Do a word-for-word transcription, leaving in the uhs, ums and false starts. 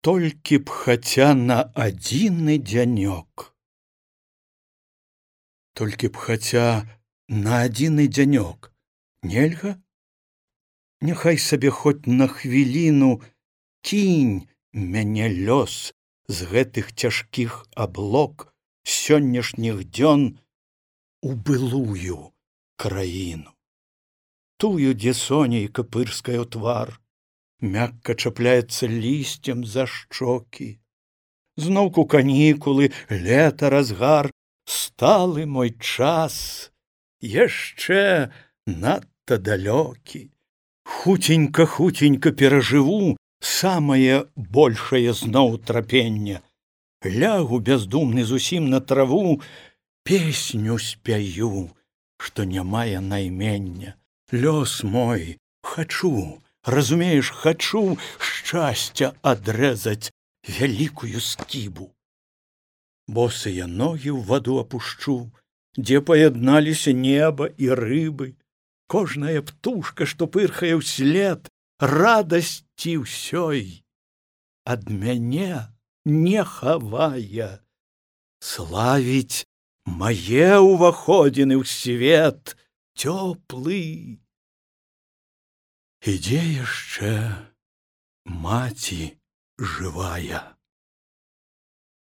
Толькі б хаця на адзіны дзянёк. Толькі б хаця на адзіны дзянёк. Нельга? Няхай сабе хоць на хвіліну кінь мяне лёс з гэтых цяжкіх аблок сённяшніх дзён у былую краіну. Тую, дзе сонейка пырскае ў твар, мякка чапляецца лісцем за шчокі. Зноўку канікулы, лета, разгар, сталы мой час, яшчэ надта далёкі. Хуценька-хуценька перажыву самае большае зноў трапенне. Лягу бяздумны зусім на траву, песню спяю, што не мае наймення. Лёс мой, хачу, разумееш, хачу шчасця адрэзаць вялікую скібу. Босыя ногі ў ваду апушчу, дзе паядналіся неба і рыбы. Кожная птушка, што пырхае ўслед, радасці ўсёй ад мяне не хавае. Славіць мае ўваходзіны ў свет цёплы. І дзе яшчэ маці жывая?